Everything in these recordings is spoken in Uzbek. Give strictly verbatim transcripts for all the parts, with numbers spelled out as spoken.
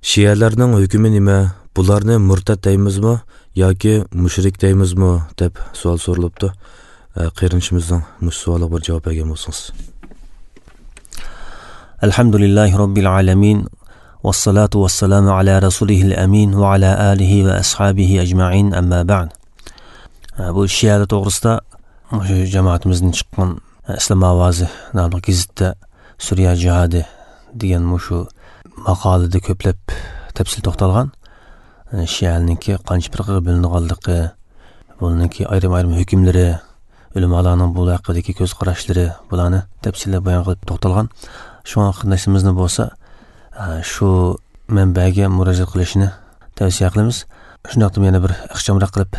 Shialarning hukmi nima? Bularni murtad deymizmi yoki mushrik deymizmi deb savol so'ralibdi. Qarinishimizning mush savolga bir javob bergan bo'lsangiz. Alhamdulillahi robbil alamin. Vassalatu vassalamu ala rasulihil amin va ala alihi va ashabihi ajma'in, amma ba'd. Bu shialar to'g'risida shu jamoatimizdan chiqqan Islom ovozi nomli gazetda Suriya jihadi degan shu maqolada ko'plab tafsil to'xtalgan. Shialarningki qancha firqaga bo'linganligi, buningki ayrim-ayrim hukmlari, ulamolarning bu haqidagi ko'z qarashlari, bularni tafsillab bayon qilib to'xtalgan. Shu qarindoshimizni bo'lsa shu manbaga murojaat qilishni tavsiya qilamiz. Shundaqda yana bir ixchamroq qilib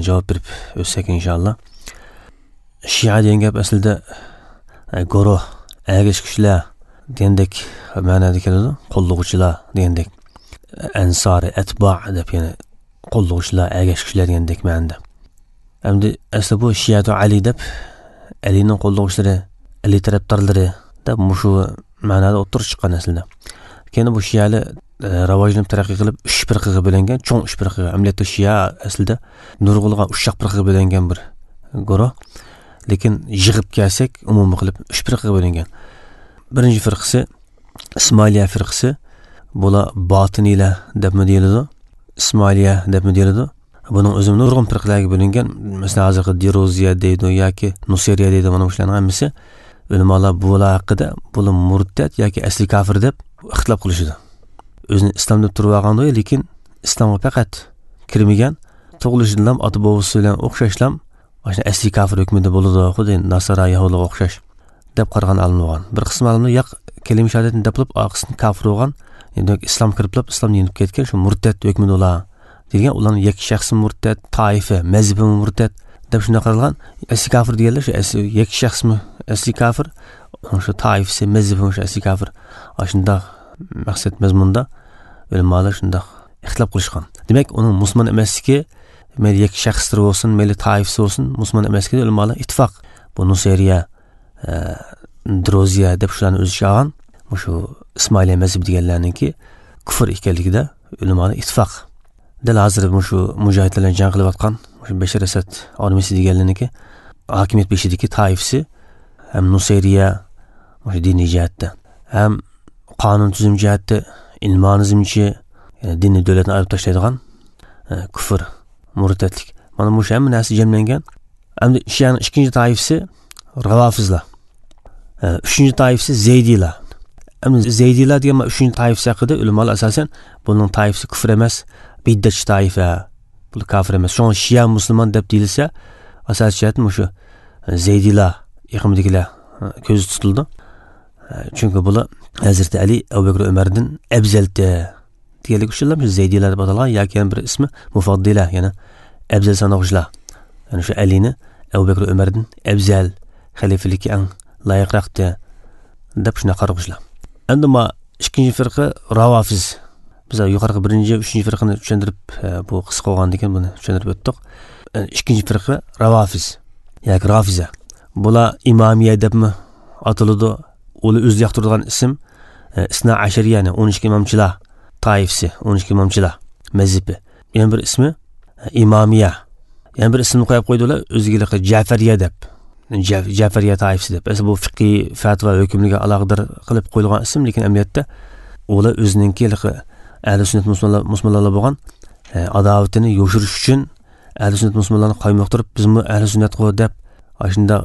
javob berib o'tsak inshaalloh. Shia degan gap aslida guruh, ergashuvchilar degandek ma'noda keladi, qo'llovchilar degandek. Ansori, atba deb, ya'ni qo'llovchilar, ergashuvchilar degandek ma'noda. Endi asli bu Shiatu Ali deb, Alining qo'llovchilari, Ali tarafdorlari deb mushu ma'noda o'tirib chiqqan aslida. Keyin bu shialar rivojlanib taraqqiy qilib uch firqaga bo'lingan, cho'ng uch firqaga. Amaliyotda shia aslida nurg'ulg'an uch firqaga bo'lingan bir guruh. Lekin yig'ib kelsak umumiy qilib uch firqaga bo'lingan. Birinchi firqasi Ismoiliya firqasi, bular botiniylar debmi deyiladi, Ismoiliya debmi deyiladi. Buning o'zi nurg'un firqalarga bo'lingan. Masalan, hozirgi Deruziya deydi yoki Nusayriya deydi, mana shularning hammasi ulamolar bular haqida bular murtad yoki asli kofir deb ixtilof qilishadi. O'zini islom deb turib olgan, lekin islomga faqat kirmagan, tug'ilishidan ota bobosi bilan o'xshashlam o'sha asli kofir hukmida bo'ladi, xuddi nasara yahudiga o'xshash deb qaragan olim bo'lgan. Bir qism olimlar yo'q, kalima shahodatni deb qilib, orqasidan kofir bo'lgan, demak islom kirib qolib, islomni yenib ketgan, shu murtad hukmida ular degan, ularning yakka shaxsi murtad, toifa, mazhabi murtad deb shunday qaralgan. Asli kofir deganlar shu asli yakka shaxsmi asli kofir, o'sha toifasi, mazhabi o'sha asli kofir. Shundoq maqsad mazmunda ulamolar shundoq ixtilof qilishgan. Demak, uning musulmon emasligi, mayli yakka shaxslar bo'lsin, mayli toifasi bo'lsin, musulmon emasligi ulamolar ittifoq. Bu Nusayriya, Droziya deb shularni o'z ichiga olgan, shu Ismoiliya mazhabi deganlarningki kufr ekanligida ulamolar ittifoq. Dal hozir shu mujohidlar bilan jang qilayotgan shu Bashar Asad armiyasi deganlarniki hokimiyat beshidagi toifasi ham Nusayriya o'sha diniy jihatda, ham qonun tuzum jihatda ilmonizmchi, ya'ni diniy davlatni ayirib tashlaydigan kufr, murtadlik. Mana bu hamma narsa jamlangan. Endi shianing ikkinchi toifasi Ravafizlar. Uchinchi toifasi Zaydiylar. Endi Zaydiylar degan uchinchi toifasi haqida ulamolar asosan buning toifasi kufr emas, bid'atchi toifa, bu kofir emas. Shunga shia musulmon deb deyilsa, asosiy jihatdan shu Zaydiylar iqimidagilar ko'z tutildi. Chunki bular Hazrati Ali, Abu Bakr, Umardan afzaldi deganlik uchun shu Zaydiylar deb atalgan, yoki yana bir ismi Mufaddila, ya'ni afzal sanog'chilar. Ya'ni shu Alini Abu Bakr, Umardan afzal xalifalikka eng loyiqroqdi deb shunday qarag'uchilar. Endi ma ikkinchi firqa Ravafiz. Biz yuqorqi birinchi, uchinchi firqani tushuntirib, bu qisqa bo'lgan ekan, buni tushuntirib o'tdik. Ikkinchi firqa Ravafiz yoki Rafiza. Bular Imomiyya debmi ataladi. Ular o'zi yoqtirgan ism Isna Ashariya, ya'ni o'n ikki imomchilar toifasi, o'n ikki imomchilar mazhabi. Yana bir ismi Imomiyya. Yana bir ismni qo'yib qo'ydilar o'ziga Ja'fariya deb. Ja'fariya toifasi deb. Asli bu fiqhiy fatvo hukmliga aloqador qilib qo'yilgan ism, lekin amaliyotda ular o'zininki ahli sunnat musulmonlar musulmonlar bo'lgan adovatini yoshirish uchun ahli sunnat musulmonlarni qaymoqtirib, bizmi ahli sunnat qo deb shunda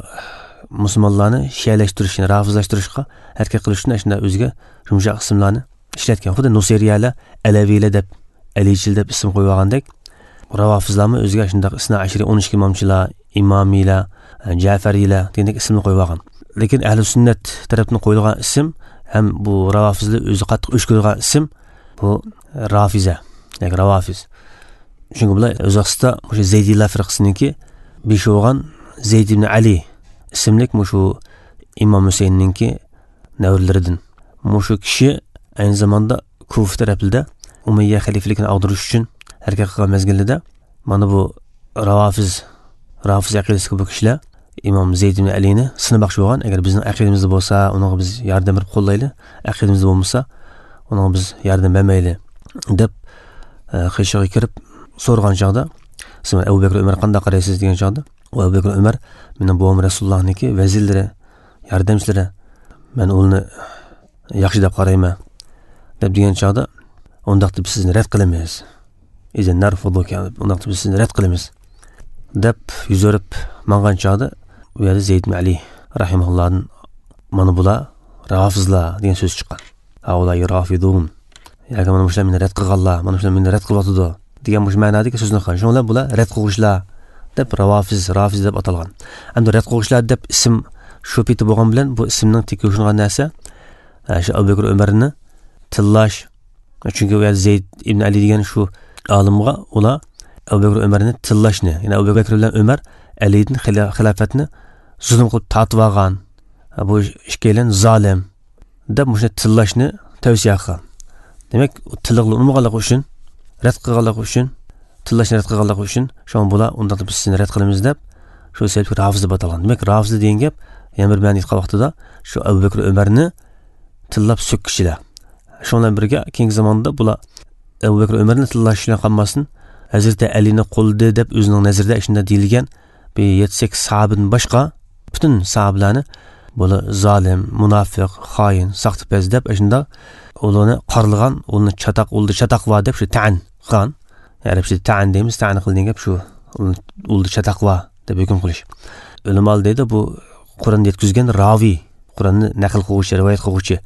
musulmonlarni shialashtirishni, rafizlashtirishga harakat qilish uchun shunda o'ziga yumshoq ismlarni ishlatgan. Xuddi Nusayriyalar, Alaviylar deb, Alichil deb ism qo'yib olgandek, Ravafizlarmi o'ziga shundoq Isna Ashriy o'n ikki imomchilar, Imomiylar, Ja'fariylar degandek ismni qo'yib olgan. Lekin ahli sunnat tarafdan qo'yilgan ism ham bu Ravafizlar o'zi qattiq o'ch ko'rgan ism bu Rafiza yoki Ravafiz. Chunki bular o'z vaqtida o'sha Zaydiylar firqasiniki beshi bo'lgan Zayd ibn Ali ismlik shu Imom Husaynninki navrlaridan. Shu kishi ayni zamonda Kufa tarafida Umayya xalifligini ag'darish uchun harakat qilgan mezgilida mana bu Ravafiz, Rafiz aqidasiga bu kishilar Imom Zayd ibn Alini sinamoqchi bo'lgan. Agar bizning aqidamizda bo'lsa, unga biz yordam berib qo'llayli, aqidamizda bo'lmasa, unga biz yordam bermayli Deb qishig'iga kirib so'ragan chog'da, siz Abu Bakr Umar qanday qaraysiz degan chog'da, Abu Bakr Umar mening bobom Rasulullohniki vazirlari, yordamchilari, men uni yaxshi deb qarayman deb degan chog'da, undaqda biz sizni rad qilamiz. Izen narfuduka, undaqda biz sizni rad qilamiz deb yuz o'rib mangan chog'da, u yerda Zayd ibn Ali rahimahullohdan mana bular rafizlar degan so'z chiqqan. Haula rafidun. Yoki mana shular meni rad qilganlar, mana shular meni rad qilyotidi degan shu ma'nodagi so'zni qilgan. Shunga bular rad qilguvchilar deb ravofiz, rafiz deb atalgan. Endi rad qilguvchilar deb ism shu peti bo'lgan bilan bu ismning teki ushungan narsa shu Abu Bakr Umarni tillash. Chunki u Zayd ibn Ali degan shu olimga ular Abu Bakr Umarni tillashni, ya'ni Abu Bakr bilan Umar Alining xilofatini zulm qilib tortib olgan, bu ikkalan zolim deb shuni tillashni tavsiya qilgan. Demak, tilliqni unutmaganligi uchun, rad qilganligi uchun, tillashni rad qilganligi uchun shu bular undaqda biz sizni rad qilamiz deb shu sababli rafiz deb atalgan. Demak, rafiz degan gap yana bir ma'ni aytgan vaqtida shu Abu Bakr Umarni tillab so'kkishilar. Shu bilan birga keyingi zamonda bular Abu Bakr Umarni tillash bilan qolmasin, Hazrati Alini qo'ldi deb o'zining nazarida shunda deyilgan bir yetti sakkiz sahobadan boshqa butun sahobalarni bular zolim, munofiq, xoin, soxtapaz deb shunda ularni qorlagan, uni chataq, uldi chataq va deb shu ta'an qilgan. Arabcha ta'an deymiz, ta'an qilgan gap shu uldi chataq va deb hukm qilish. Ulamolar deydi, bu Qur'onni yetkazgan raviy, Qur'onni naql qiluvchi, rivoyat qiluvchi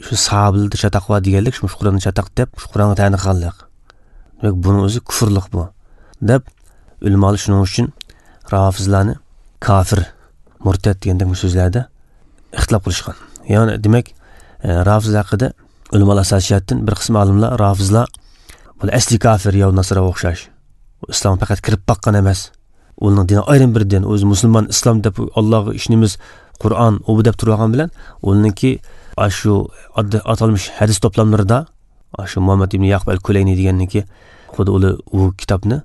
shu sahobalarda chataq va deganlik, shu Qur'onni chataq deb shu Qur'onga ta'an qilganlik. Demak, buni o'zi kufrlik bu deb ulamolar shuning uchun rafizlarni kofir, murtad degandek so'zlarda ixtilof qilishgan. Ya'ni demak, rafiz haqida ulamolar asosiyatdan bir qism olimlar rafizlar bu asli kofir yo nasra o'xshash. Islom faqat kirib boqqan emas. Uning dini ayrim bir din, o'zi musulmon islom deb Allohga ishonamiz, Qur'on u deb turgan bilan uningki shu atalmish hadis to'plamlarida shu Muhammad ibn Yaqub al-Kulayni deganniki xuddi u u kitobni,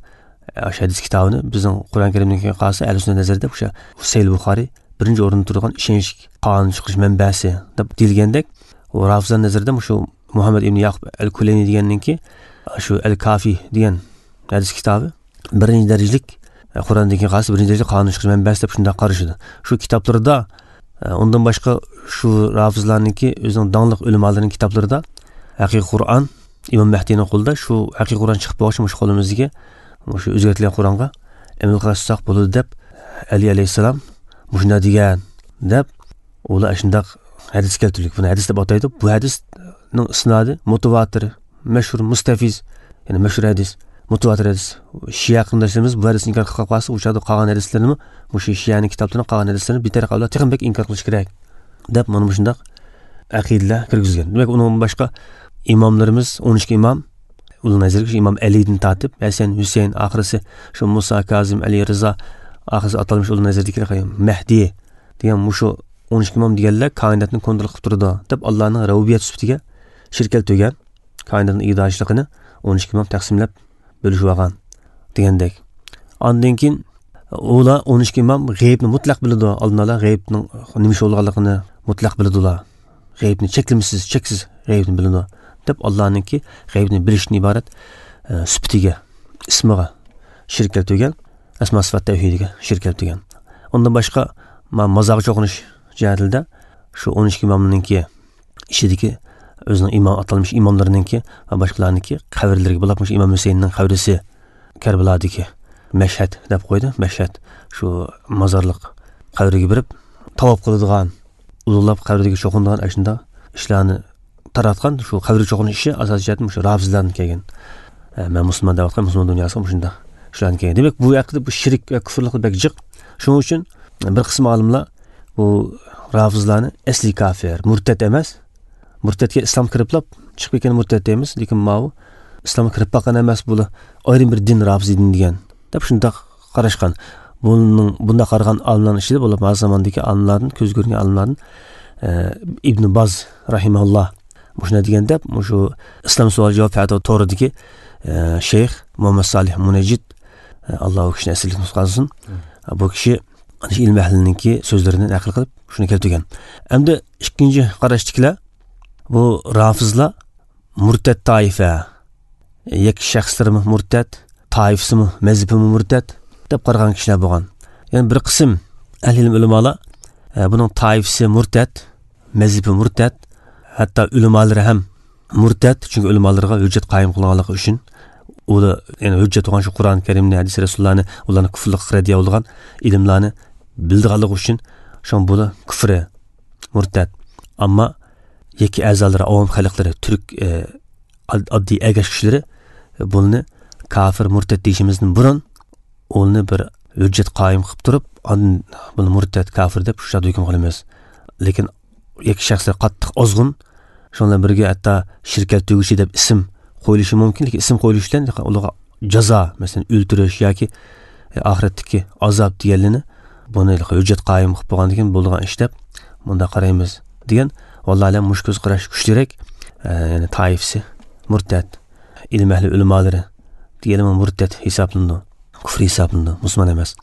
shu hadis kitobini bizning Qur'on Karimniki qolsa, ahli sunnat nazarida o'sha Sahih Buxoriy birinchi o'rinda turgan ishonch qonun chiqish manbasi deb deyilgandek, u rafizlar nazarida shu Muhammad ibn Yaqub al-Kulayni deganninki shu al-Kafi degan hadis kitobi birinchi darajalik Qur'ondagi qolsa birinchi darajalik qonun chiqish manbasi deb shunday qarashadi. Shu kitoblarda undan boshqa shu rafizlarniki o'zining dongliq ulamolarining kitoblarida haqiqiy Qur'on Imom Mahdining qo'lida shu haqiqiy Qur'on chiqib bo'lsa, shu qo'limizga shu o'zgartirilgan Qur'onga amal qilsak bo'ladi deb Ali alayhissalom shunday degan deb ular shunday hadis keltirdik. Buni hadis deb ataydi. Bu hadisning isnodi mutavatir, mashhur, mustafiz, ya'ni mashhur hadis, mutavatir hadis. Shia qarindoshlarimiz bu hadisni inkor qilib qolsa, o'sha qolgan hadislarni, o'sha Shianing kitoblarini qolgan hadislarni betaraf ular texnik inkor qilish kerak deb mana shunday aqidalar kirgizgan. Demak, undan boshqa imomlarimiz o'n ikki imom, uning nazariga Imom Alidan tortib, Hasan, Husayn, oxirisi shu Musa Kazim, Ali Rizo, oxirisi atalmish uning nazaridagi Mahdi degan shu o'n ikki imom deganlar koinotni kontrol qilib turadi deb Allohning rububiyat sifatiga shirk keltirgan, koinotning idorachiligini o'n ikki imom taqsimlab bo'lishib olgan degandek. Ondan keyin ular o'n ikki imom g'aybni mutlaq biladi, oldin ular g'aybning nima ish bo'lganligini mutlaq biladi ular. G'aybni cheklimsiz, cheksiz g'aybni biladi deb Allohningki g'aybni bilishdan iborat sifatiga, ismiga shirk keltirgan, asmo sifat tavhidiga shirk keltirgan. Undan boshqa mazorga cho'qinish jihatida shu o'n ikki imomninki ichidagi o'zining imom atalmish imomlarininki va boshqalarniki qabrlariga bo'lib, shu Imom Husaynning qabrisi Karbaladagi Mashhad deb qo'ydi. Mashhad shu mozorliq qabriga kirib tavob qiladigan, ulug'lab qabriga cho'qinadigan ana shunday ishlarni taratgan shu qabrga cho'qinish ishi asosiy jihatdan shu rafizlardan kelgan. Men musulmon deb aytgan musulmon dunyosiga shunday shulardan kelgan. Demak, bu haqida bu shirk va kufrlik bek jiq. Shuning uchun bir qism olimlar bu rafizlarni asli kofir, murtad emas. Murtadga islom kiriblab chiqib ketgan murtad deymiz, lekin mau islomga kirib boqqan emas, bular ayrim bir din rafiz din degan deb shunday qarashgan. Buning bunda qaragan olimlarning ichida bo'lib, hozir zamondagi olimlardan, ko'z ko'rgan olimlardan Ibn Baz rahimahulloh shunday degan deb shu islom savol javob fatvo to'ridagi shayx Muhammad Solih Munajjid, Alloh u kishini asirlik qilsin, bu kishi ilm ahliningki so'zlarini naql qilib shuni keltirgan. Endi ikkinchi qarashliklar bu rafizlar murtad toifa, Yakka shaxslarmi murtad, toifasimi, mazhabimi murtad deb qaragan kishilar bo'lgan. Ya'ni bir qism ahli ilm ulamolar buning toifasi murtad, mazhabi murtad, hatto ulamolar ham murtad, chunki ulamolarga hujjat qoyim qilganligi uchun ular, ya'ni hujjat bo'lgan shu Qur'oni Karimni, hadis rasullarni, ularni kufrlikqa radiya bo'lgan ilmlarni bildiganligi uchun shun bular kufri murtad. Ammo yakka a'zolari, avom xalqlari, turk e, oddiy agash kishileri buni kafir murtad deyishimizdan burun uni bir hujjat qoyim qilib turib, buni murtad kafir deb shu hukm qilamiz. Lekin yakka shaxslar qattiq ozg'un, shundan birga hatto shirkat tugushi deb ism qo'yilishi mumkin, lekin ism qo'yilishi bilan ularga jazo, masalan, o'ltirish yoki oxiratdagi azob deganlarni buni hujjat qoyim qilib bo'lgandan keyin bo'lgan ish deb bunda qaraymiz degan. Vallahi alam mush ko'z qarash kuchliroq, ya'ni toifasi murtad, ilm ahli ulamolari deganimi murtad hisoblanadi, kufr hisoblanadi, musulmon emas.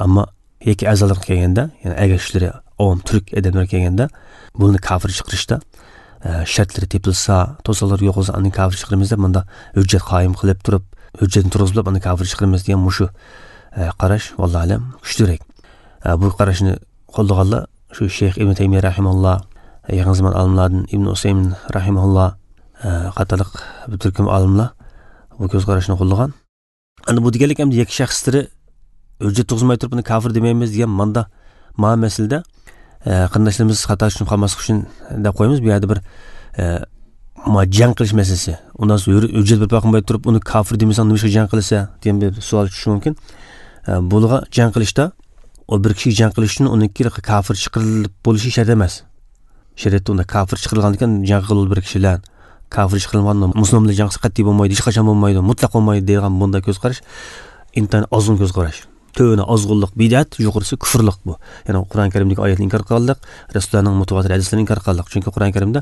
Ammo yakka a'zolar kelganda, ya'ni agashlari, avom turk odamlar kelganda buni kofir chiqarishda shartlari tepilsa, to'saqlar yo'q bo'lsa, uni kofir chiqaramiz deb bunda hujjat qoyim qilib turib, hujjatni turg'izib uni kofir chiqaramiz degan mushu qarash vallahi alam kuchliroq. Bu qarashni qo'llaganlar shu Sheyx Ibn Taymiya rahimahulloh, yaqin zamon olimlardan Ibn Usaymin rahimahulloh qatorliq bir turkum olimlar bu ko'z qarashni qo'llagan. Endi bu deganlik endi yakka shaxslari hujjat turg'izmay turib uni kofir demaymiz degan manda ma masalada qarindoshlarimiz xato tushunib qolmaslik uchun deb qo'yamiz. Bu yerda bir ma jang qilish masalasi. Undan so'ng hujjat bir qilmay turib uni kofir demasan nima ishga jang qilsa degan bir savol tushishi mumkin. Bularga jang qilishda o bir kishi jang qilish uchun uniki kofir chiqarilib bo'lishi shart emas. Shariatda unda kofir chiqarilgan ekan jang qilib bir kishi bilan kofir chiqarilgan musulmon bilan jang qilsa qat'iy bo'lmaydi, hech qachon bo'lmaydi, mutlaq bo'lmaydi degan bunday ko'z qarash intan ozg'un ko'z qarash. Tövni ozg'unlik bid'at, yuqorisi kufrlik bu. Ya'ni Qur'oni Karimdagi oyatni inkor qilganlik, Rasulullohning mutawatir hadislarini inkor qilganlik. Chunki Qur'oni Karimda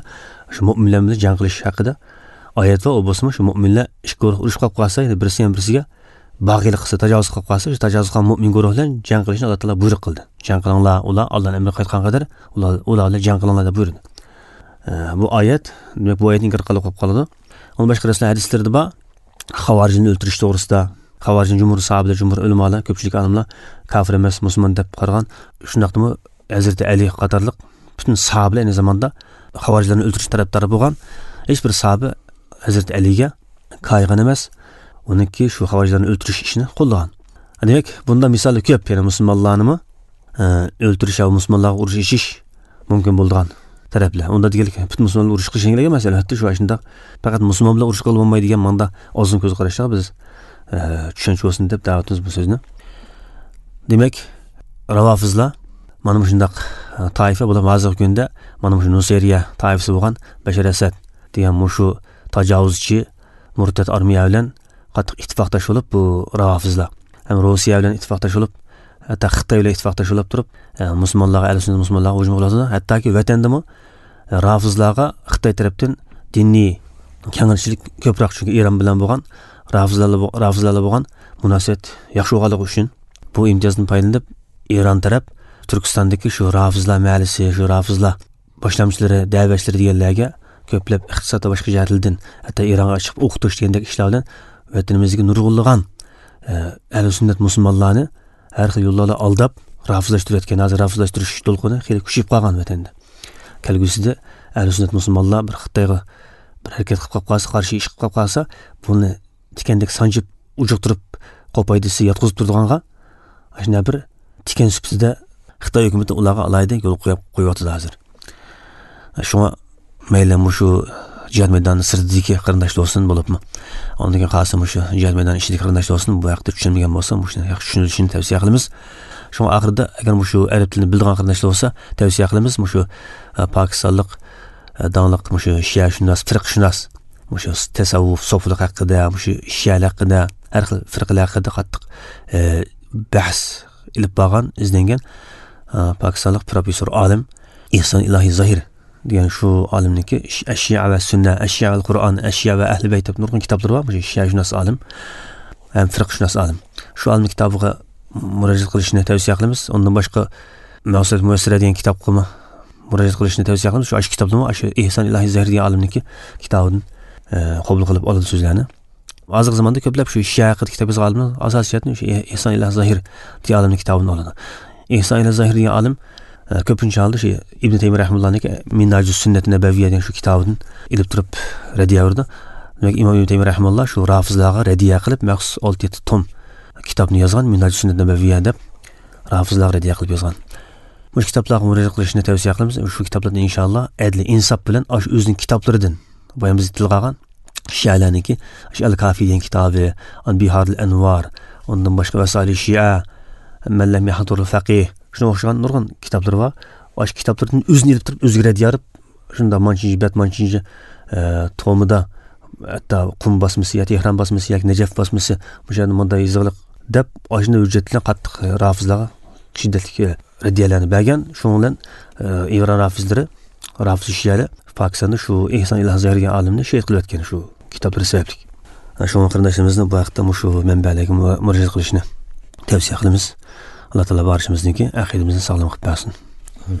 shu mo'minlar bilan jang qilish haqida oyat va u bo'lsa shu mo'minlar ikki guruh urush qilib qolsa, ya'ni birisi ham birisiga bag'iylik qilsa, tajovuz qilib qolsa, shu tajovuz qilgan mo'min guruh bilan jang qilishni Alloh taolo buyruq qildi. Jang qilinglar, ular Allohning amriga qaytgan qadar ular ular bilan jang qilinglar deb buyurdi. Bu oyat, demak bu oyatni inkor qilib qolib qoladi. Undan boshqa Rasululloh hadislarida bor, xavorijni o'ltirish to'g'risida Xavorijning jumhur sahobalar, jumhur ulamolar, ko'pchilik olimlar kofir emas, musulmon deb qaragan. Shundaqmi Hazrati Ali qatorliq butun sahobalar ayni zamonda xavorijlarni o'ltirish tarafdori bo'lgan. Hech bir sahoba Hazrati Aliga koygan emas, uniki shu xavorijlarni o'ltirish ishini qo'llagan. Demak, bunda misollar ko'p, ya'ni musulmonlarni o'ltirish va musulmonlarga urush ichish mumkin bo'lgan taraflar. Unda deganlik butun musulmonlar urush qilish kerak emas, albatta shu shundaq faqat musulmon bilan urush qilib bo'lmaydi degan manda ozg'in ko'z qarashlar biz tushunch bo'lsin deb da'vatimiz bu so'zni. Demak, ravofizlar mana shundaq toifa bular hozirgi kunda mana shu Nusayriya toifasi bo'lgan Bashar Asad degan shu tajovuzchi murtad armiya bilan qattiq ittifoqdosh bo'lib bu ravofizlar ham Rossiya bilan ittifoqdosh bo'lib, hatto Xitoy bilan ittifoqdosh bo'lib turib, musulmonlarga, ahli sunnat musulmonlarga hujum qiladi. Hattoki vatandami rafizlarga Xitoy tarafdan diniy kengashchilik ko'proq, chunki Eron bilan bo'lgan rafizlarla rafizlarla bo'lgan munosabat yaxshi bo'lganligi uchun bu imtiyozdan foydalanib Eron taraf Turkistondagi shu rafizlar mahalisi, shu rafizlar boshlamchilari, da'vatchilari deganlarga ko'plab iqtisod va boshqa jihatlardan, hatto Eronga chiqib o'qitish degandek ishlar bilan vatanimizga nurg'unlagan ahli sunnat musulmonlarni har xil yo'llarla aldab rafizlashtirayotgan. Hozir rafizlashtirish to'lqini xeyli kuchayib qolgan vatanda. Kelgusida ahli sunnat musulmonlar bir Xitoyga bir harakat qilib qolib qolsa, qarshi ish qilib qolib qolsa, buni tikandek sanjib ujuqtirib qo'paydisi yotqizib turdiganga shunday bir tikan sifatida Xitoy hukumati ularga alayda yo'l qo'yib qo'yapti hozir. Shunga mayli shu jihad maydoni sirtidagi qarindoshlar bo'lsin bo'libmi, undan keyin qolsa shu jihad maydoni ichidagi qarindoshlar bo'lsin, bu haqda tushunmagan bo'lsa, shuni yaxshi tushunishini tavsiya qilamiz. Shunga oxirida agar shu arab tilini biladigan qarindoshlar bo'lsa, tavsiya qilamiz shu pokistonlik dongliq shu shiashunos, firqshunos, shu tasavvuf, sofilik haqida, shu shialar haqida, har xil firqalar haqida qattiq bahs ilib borgan, izlangan pokistonlik professor olim Ihson Ilohiy Zohir degan shu olimniki Ashya va Sunna, Ashya va Qur'on, Ashya va Ahli Bayt deb nurg'un kitoblari bor. Shu shiashunos olim ham firqshunos olim. Shu olimning kitobiga murojaat qilishni tavsiya qilamiz. Undan boshqa Maqsad Muyassara degan kitobga murojaat qilishni tavsiya qilamiz. Shu kitobni shu Ihson Ilohiy Zohir degan olimniki kitobidan qabul qilib oladi so'zlarni. Hozirgi zamonda ko'plab shu Shia haqida kitob yozgan olimlar asosiy jihatdan shu Ehson ila Zahir degan olimning kitobini oladi. Ehson ila Zahir degan olim ko'pincha holda shu Ibn Taymiy rahimahullohniki Minhajus Sunnat Nabaviyya degan shu kitobidan ilib turib radiya berdi. Demak, Imom Ibn Taymiy rahimahulloh shu rafizlarga radiya qilib maxsus olti yetti tom kitobni yozgan, Minhajus Sunnat Nabaviyya deb rafizlarga radiya qilib yozgan. Bu kitoblarga murojaat qilishni tavsiya qilamiz. Shu kitoblardan inshaalloh adli insof bilan shu o'zining kitoblaridan boya biz tilga olgan Shialarniki shu Al-Kafi degan kitobi, Biharul Anvar, undan boshqa Vasail Shia, Man lam yahdurul faqih, shunga o'xshagan nurg'un kitoblar bor. Shu kitoblardan o'zini ilib turib o'ziga rad yorib, shunda manchinchi bet, manchinchi tomida hatto Qum bosmasi yo Tehron bosmasi yoki Najaf bosmasi o'shanda bunday yozig'liq deb shunday hujjat bilan qattiq rafizlarga shiddatli radiyalarni bergan. Shuning bilan Eron rafizlari, rafiz shialar Pokistonda shu Ehson ila Zahir degan olimni shehid qilib o'tgan shu kitoblar sababli. Shu qarindoshlarimizni bu haqda shu manbalarga murojaat qilishni tavsiya qilamiz. Alloh taolo barchamizniki aqidamizni sog'lom qilib bersin. Amin.